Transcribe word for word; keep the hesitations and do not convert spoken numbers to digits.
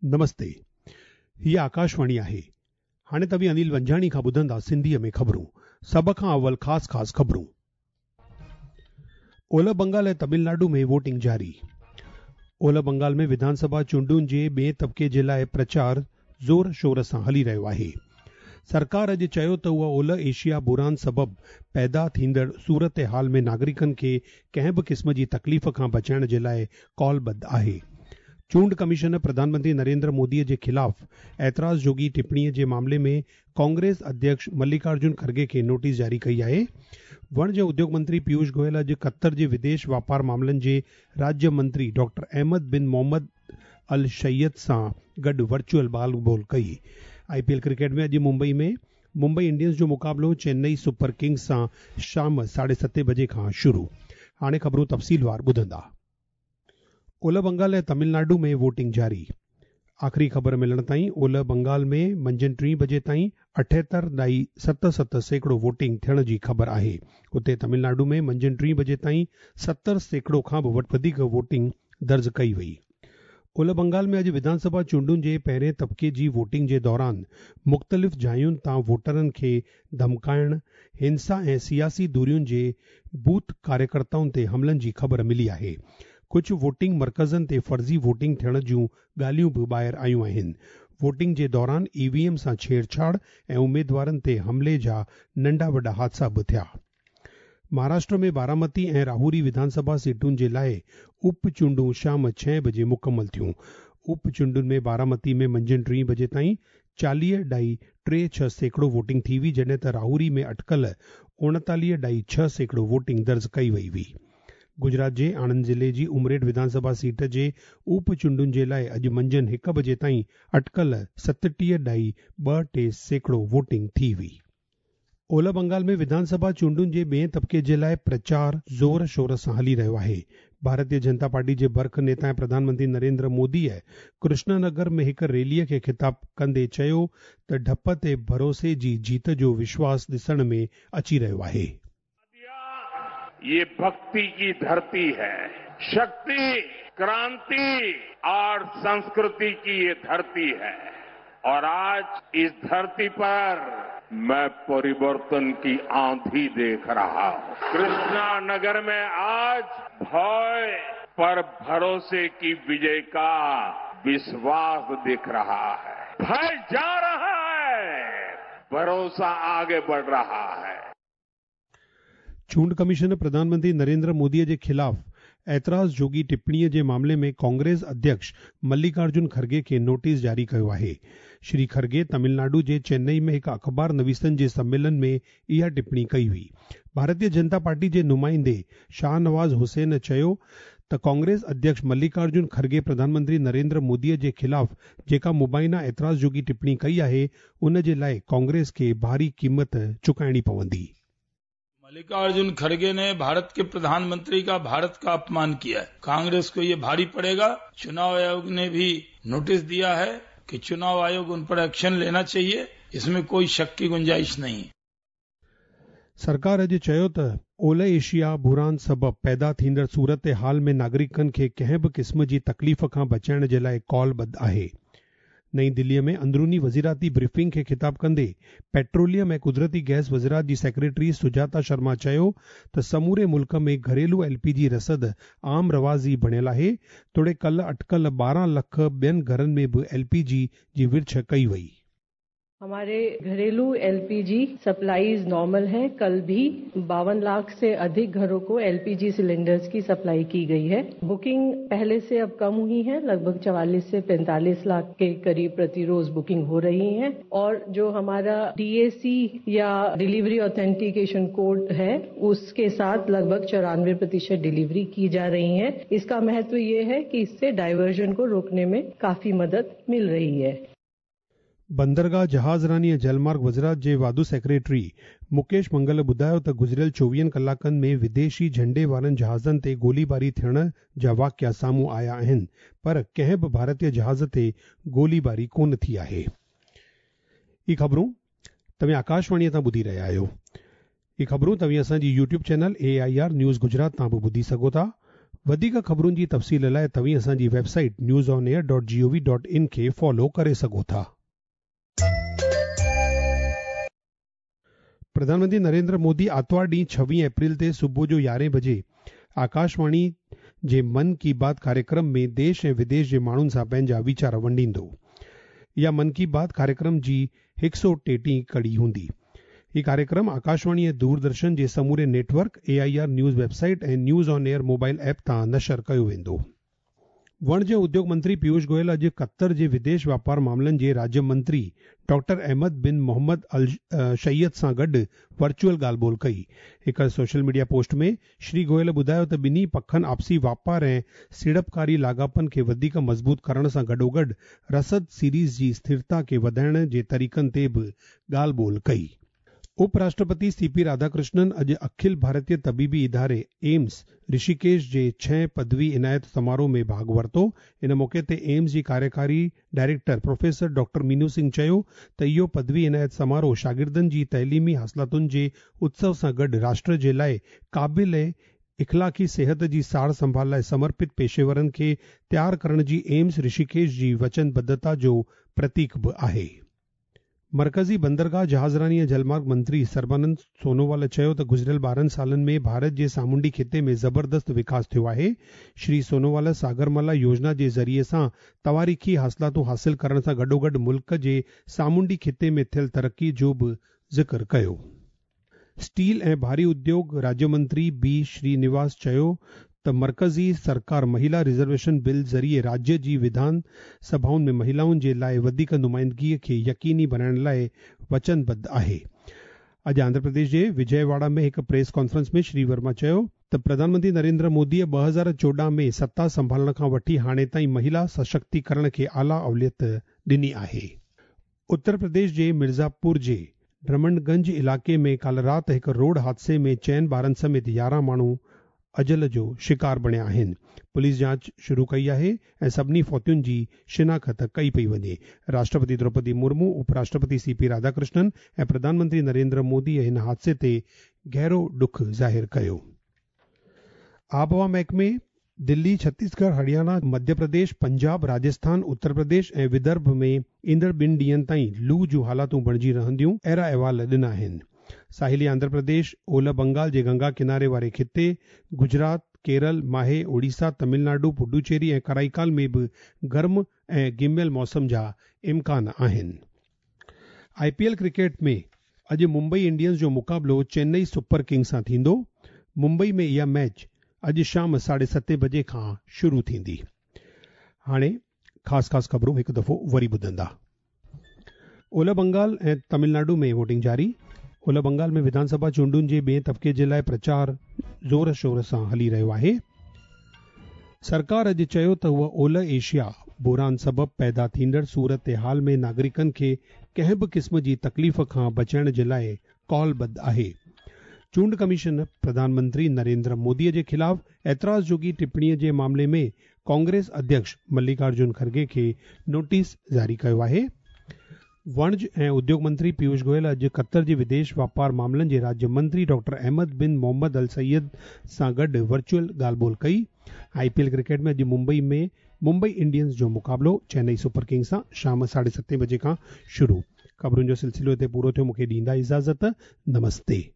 नमस्ते, हीअ आकाशवाणी आहे। हाणे तव्हीं अनिल वंजाणी खां ॿुधंदा सिंधीअ में ख़बरूं। सभ खां अवल ख़ासि ख़ासि ख़बरूं। ओलह बंगाल ऐं तमिलनाडु में वोटिंग जारी। ओलह बंगाल में विधानसभा चूंडुनि जे ॿिए तबिके जे लाइ प्रचार ज़ोर शोर सां हली रहियो आहे। सरकार अॼु चयो त उहा ओलह एशिया बुरान सबबु पैदा थींदड़ सूरत हाल में नागरिकनि खे कंहिं बि क़िस्म जी तकलीफ़ खां बचाइण जे लाइ कॉलबद्ध आहे। चूंड कमीशन प्रधानमंत्री नरेंद्र मोदी जे ख़िलाफ़ एतिराज़ जोगी टिप्पणीअ जे मामले में कांग्रेस अध्यक्ष मल्लिकार्जुन खड़गे खे नोटिस जारी कई आहे। वणज उद्योग मंत्री पीयूष गोयल अॼु क़तर जे विदेश वापार मामलनि जे राज्य मंत्री डॉक्टर अहमद बिन मोहम्मद अल शैयद सां गॾु वर्चुअल ॻाल्हि ॿोल कई। I P L cricket में अॼु मुंबई में मुंबई इंडियंस जो मुक़ाबिलो चेन्नई सुपर किंग्स सां शाम साढे सते बजे खां शुरू। हाणे ख़बरूं तफ़सीलवार ॿुधंदा। ओलह बंगाल ऐं तमिलनाडु में वोटिंग जारी। आख़िरी ख़बर मिलण ताईं ओलह बंगाल में मंझंदि टी बजे ताईं अठहतरि ॾाई सत सत सैकड़ो वोटिंग थियण जी ख़बर आहे। उते तमिलनाडु में मंझंदि टी बजे ताईं सतरि सैकड़ो खां बि वधीक वोटिंग दर्ज कई वई। ओलह बंगाल में अॼु विधानसभा चूंडुनि जे पहिरें तबिके जी वोटिंग जे दौरान मुख़्तलिफ़ जायुनि तां वोटरनि खे धमकाइण, हिंसा ऐं सियासी धुरियुनि जे बूथ कार्यकर्ताउनि ते हमलनि जी ख़बर मिली आहे। कुझु वोटिंग मर्कज़नि ते फ़र्ज़ी वोटिंग थियण जूं ॻाल्हियूं बि ॿाहिरि आयूं आहिनि। वोटिंग जे दौरान ई वी एम सां छेड़छाड़ ऐं उमेदवारनि ते हमले जा नंढा वॾा हादसा बि थिया। महाराष्ट्र में बारामती ऐं राहुरी विधानसभा सीटुनि जे लाइ उप चूंडूं शाम छह बजे मुकमल थियूं। उप चूंडुनि में बारामती में मंझंदि टी बजे ताईं चालीह ॾाई टे छह सैकड़ो वोटिंग थी हुई, जॾहिं त राहुरी में अटकल उणेतालीह ॾाई छह सैकड़ो वोटिंग दर्ज कई वई हुई। गुजरात जे आणंद ज़िले जी उमरेठ विधानसभा सीट जे उप चूंडुनि जे लाइ अॼु मंझंदि हिकु बजे ताईं अटकल सतटीह ॾाई ॿ टे सैकड़ो वोटिंग थी हुई। ओलह बंगाल में विधानसभा चूंडुनि जे ॿिए तबिके जे लाइ प्रचार ज़ोर शोर सां हली रहियो आहे। भारतीय जनता पार्टी जे बर्ख नेता ऐं प्रधानमंत्री नरेंद्र मोदीअ कृष्णानगर में हिकु रैलीअ खे ख़िताब कंदे चयो त ढप ते भरोसे जी जीत जो विश्वास ॾिसण में अची रहियो आहे। ये भक्ति की धरती है, शक्ति, क्रांति और संस्कृति की ये धरती है और आज इस धरती पर मैं परिवर्तन की आंधी देख रहा हूं। कृष्णा नगर में आज भय पर भरोसे की विजय का विश्वास दिख रहा है। भय जा रहा है, भरोसा आगे बढ़ रहा है। चूंड कमीशन प्रधानमंत्री नरेंद्र मोदीअ जे ख़िलाफ़ एतिराज़ जोगी टिप्पणीअ जे मामले में कांग्रेस अध्यक्ष मल्लिकार्जुन खड़गे खे नोटिस जारी कयो आहे। श्री खड़गे तमिलनाडु जे चेन्नई में हिकु अख़बार नवीसनि जे सम्मेलन में इहा टिप्पणी कई हुई। भारतीय जनता पार्टी जे नुमाइंदे शाहनवाज़ हुसैन चयो त कांग्रेस अध्यक्ष मल्लिकार्जुन खड़गे प्रधानमंत्री नरेंद्र मोदीअ जे ख़िलाफ़ जेका मुबैना एतिराज़ जोगी टिप्पणी कई आहे, उन जे लाइ कांग्रेस खे भारी क़ीमत चुकाइणी पवंदी। मल्लिकार्जुन खड़गे ने भारत के प्रधानमंत्री का भारत का अपमान किया है। कांग्रेस को ये भारी पड़ेगा। चुनाव आयोग ने भी नोटिस दिया है कि चुनाव आयोग उन पर एक्शन लेना चाहिए, इसमें कोई शक की गुंजाइश नहीं। सरकार अॼु चयो त ओलह एशिया बुरान सबबु पैदा थींदड़ सूरत हाल में नागरिकनि खे कंहिं बि क़िस्म जी तकलीफ़ खां बचाइण जे लाइ कॉलबद्ध आहे। नई दिल्लीअ में अंदरूनी वज़ीराती ब्रीफिंग खे ख़िताब कंदे पेट्रोलियम ऐं कुदरती गैस वज़ारत जी सेक्रेटरी सुजाता शर्मा चयो त समूरे मुल्क में घरेलू एल पी जी रसद आम रवाज़ी बणियल आहे, तोड़े कल अटकल ॿारहं लख ॿियनि घरनि में बि एल पी जी जी विर्छ कई वई। हमारे घरेलू एलपीजी सप्लाईज नॉर्मल है। कल भी बावन लाख से अधिक घरों को एलपीजी सिलेंडर्स की सप्लाई की गई है। बुकिंग पहले से अब कम हुई है, लगभग चवालीस से पैंतालीस लाख के करीब प्रति रोज बुकिंग हो रही है। और जो हमारा डीएसी या डिलीवरी ऑथेंटिकेशन कोड है, उसके साथ लगभग चौरानवे प्रतिशत डिलीवरी की जा रही है। इसका महत्व ये है कि इससे डाइवर्जन को रोकने में काफी मदद मिल रही है। बंदरगाह जहाज़रानी ऐं जलमार्ग वज़ारत जे वाधू सेक्रेटरी मुकेश मंगल ॿुधायो त गुज़िरियल चोवीहनि कलाकनि में विदेशी झंडे वारनि जहाज़नि ते गोलीबारी थियण जा वाक़िआ साम्हूं आया आहिनि, पर कंहिं बि भारतीय जहाज़ ते गोलीबारी कोन थी आहे। इहे ख़बरूं तव्हीं आकाशवाणीअ तां ॿुधी रहिया आहियो। इहे ख़बरूं तव्हीं असांजी YouTube channel A I R news Gujarat तां बि ॿुधी सघो था। वधीक ख़बरुनि जी तफ़सील लाइ तव्हीं असांजी website news on air dot G O V dot in खे फॉलो करे सघो था। प्रधानमंत्री नरेंद्र मोदी आतिवार ॾींहुं छवीह अप्रैल ते सुबुह जो यारहें बजे आकाशवाणी जे मन की बात कार्यक्रम में देश ऐं विदेश जे माण्हुनि सां पंहिंजा वीचार वंडींदो। इहा मन की बात कार्यक्रम जी हिकु सौ टेटीह कड़ी हूंदी। ही कार्यक्रम आकाशवाणी ऐं दूरदर्शन जे समूरे network, A I R news website ऐं news on air mobile app तां नशर कयो वेंदो। वणिज उद्योग मंत्री पीयूष गोयल अॼु क़तर जे विदेश वापार मामलनि जे राज्य मंत्री डॉक्टर अहमद बिन मोहम्मद अल शैयद सां गॾु वर्चुअल ॻाल्हि ॿोल कई। हिकु सोशल मीडिया पोस्ट में श्री गोयल ॿुधायो त ॿिन्ही पखनि आपसी वापार ऐं सीड़पकारी लाॻापनि खे वधीक मज़बूत करण सां गॾोगॾु रसद सीरीज़ जी स्थिरता खे वधाइण जे तरीक़नि ते बि ॻाल्हि ॿोल कई। उपराष्ट्रपति सी पी राधाकृष्णन अॼु अखिल भारतीय तबीबी इदारे एम्स ऋषिकेश जे छह पदवी इनायत समारोह में भाॻ वरितो। इन मौक़े ते एम्स जी कार्यकारी director professor doctor Meenu Singh चयो त इहो पदवी इनायत समारोह शागिर्दनि जी तइलीमी हासिलातुनि जे उत्सव सां गॾु राष्ट्र जे लाइ क़ाबिल ऐं इख़लाक़ी सिहत जी सार संभाल लाइ समर्पित पेशेवरनि खे तयार करण जी एम्स ऋषिकेश जी वचनबद्धता जो प्रतीक बि आहे। मरकज़ी बंदरगाह जहाज़रानी ऐं जलमार्ग मंत्री सर्बानंद सोनोवाल चयो त गुज़िरियल ॿारहं सालनि में भारत जे सामुंडी ख़िते में ज़बरदस्त विकास थियो आहे। श्री सोनोवाल सागरमाला योजना जे ज़रिए सां तवारीख़ी हासिलातूं हासिल करण सां गॾोगॾु मुल्क जे सामुंडी ख़िते में थियल तरक़ी जो बि ज़िक्र कयो। स्टील ऐं भारी उद्योग राज्य मंत्री बी श्रीनिवास चयो त मरकज़ी सरकार महिला रिज़र्वेशन बिल ज़रिए राज्य जी विधान सभाउनि में महिलाउनि जे लाइ वधीक नुमाइंदगीअ खे यकीनी बणाइण लाइ वचनबद्ध आहे। अॼु आंध्र प्रदेश जे विजयवाड़ा में हिकु प्रेस कॉन्फ्रेंस में श्री वर्मा चयो त प्रधानमंत्री नरेंद्र मोदीअ ॿ हज़ार चोॾहं में सत्ता संभालण खां वठी हाणे ताईं महिला सशक्तिकरण खे आला अवलियत ॾिनी आहे। उत्तर प्रदेश जे मिर्ज़ापुर जे ड्रमंडगंज इलाइक़े में काल्ह राति हिकु रोड हादसे में चइनि ॿारनि समेत यारहं माण्हू अजल जो शिकार बणिया आहिनि। पुलिस जांच शुरू कई आहे ऐं सभिनी फौतियुनि जी शिनाख़त कई पई वञे। राष्ट्रपति द्रौपदी मुर्मू, उपराष्ट्रपति सी पी राधाकृष्णन ऐं प्रधानमंत्री नरेंद्र मोदी हिन हादसे ते गहरो ॾुख ज़ाहिर कयो। आबहवा महकमे दिल्ली, छत्तीसगढ़, हरियाणा, मध्य प्रदेश, पंजाब, राजस्थान, उत्तर प्रदेश ऐं विदर्भ में ईंदड़ ॿिनि ॾींहनि ताईं लू जूं हालातूं बणिजी रहंदियूं, अहिड़ा अहवाल ॾिना आहिनि। साहिली आंध्र प्रदेश, ओलह बंगाल जे गंगा किनारे वारे खिते, गुजरात, केरल, माहे, ओडिशा, तमिलनाडु, पुडुचेरी ऐं कराईकाल में बि गर्म ऐं गिमियल मौसम जा इम्कान आहिनि। I P L cricket में अॼु मुंबई इंडियंस जो मुक़ाबिलो चेन्नई सुपर किंग्स सां थींदो। मुंबई में इहा मैच अॼु शाम साढे सते बजे खां शुरू थींदी। हाणे ख़ासि ख़ासि ख़बरूं हिकु दफ़ो वरी ॿुधंदा। ओलह बंगाल ऐं तमिलनाडु में वोटिंग जारी। ओलह बंगाल में विधानसभा चूंडुनि जे ॿिए तबिके जे लाइ प्रचार ज़ोर शोर सां हली रहियो आहे। सरकार अॼु चयो त उहा ओलह एशिया बुहरान सबबि पैदा थींदड़ सूरत हाल में नागरिकनि खे कंहिं बि क़िस्म जी तकलीफ़ खां बचाइण जे लाइ कॉलबद्ध आहे। चूंड कमीशन प्रधानमंत्री नरेंद्र मोदीअ जे ख़िलाफ़ एतिराज़ जोगी टिप्पणीअ जे मामले में कांग्रेस अध्यक्ष मल्लिकार्जुन खड़गे खे नोटिस जारी कयो आहे। वणिज ऐं उद्योग मंत्री पीयूष गोयल अॼु क़तर जे विदेश वापार मामलनि जे राज्य मंत्री डॉक्टर अहमद बिन मोहम्मद अल सैयद सां गॾु वर्चुअल ॻाल्हि ॿोल कई। I P L cricket में अॼु मुंबई में मुंबई इंडियंस जो मुक़ाबिलो चेन्नई सुपर किंग्स सां शाम साढे सते बजे खां शुरू। ख़बरुनि जो सिलसिलो हिते पूरो थियो। मूंखे ॾींदा इजाज़त। नमस्ते।